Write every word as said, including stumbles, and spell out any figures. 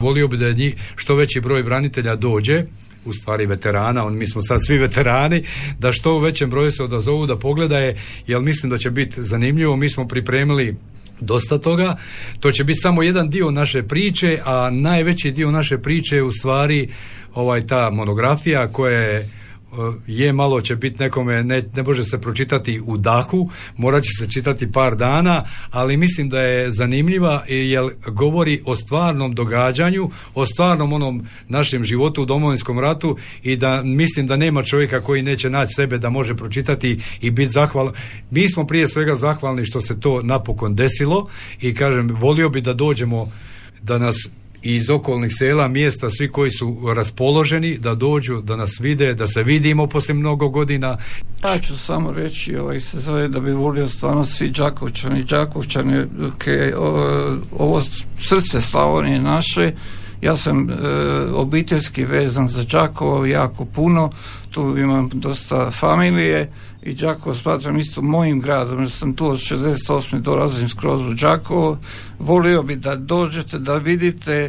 Volio bi da je njih što veći broj branitelja dođe, u stvari veterana, on, mi smo sad svi veterani, da što u većem broju se odazovu da pogledaje, jer mislim da će biti zanimljivo. Mi smo pripremili dosta toga, to će biti samo jedan dio naše priče, a najveći dio naše priče je u stvari ovaj, ta monografija koja je je malo će biti nekome, ne, ne može se pročitati u dahu, morat će se čitati par dana, ali mislim da je zanimljiva jer govori o stvarnom događanju, o stvarnom onom našem životu u Domovinskom ratu i da mislim da nema čovjeka koji neće naći sebe da može pročitati i biti zahvalan. Mi smo prije svega zahvalni što se to napokon desilo i kažem, volio bi da dođemo, da nas iz okolnih sela, mjesta, svi koji su raspoloženi da dođu, da nas vide, da se vidimo poslije mnogo godina. Ja ću samo reći, ovaj se zove da bi volio stvarno svi Đakovčani, Đakovčani, okay, ovo srce Slavonije naše. Ja sam e, obiteljski vezan za Đakovo jako puno, tu imam dosta familije i Đakovo smatram isto mojim gradom, jer sam tu od šezdeset osme dolazim skroz u Đakovo. Volio bi da dođete, da vidite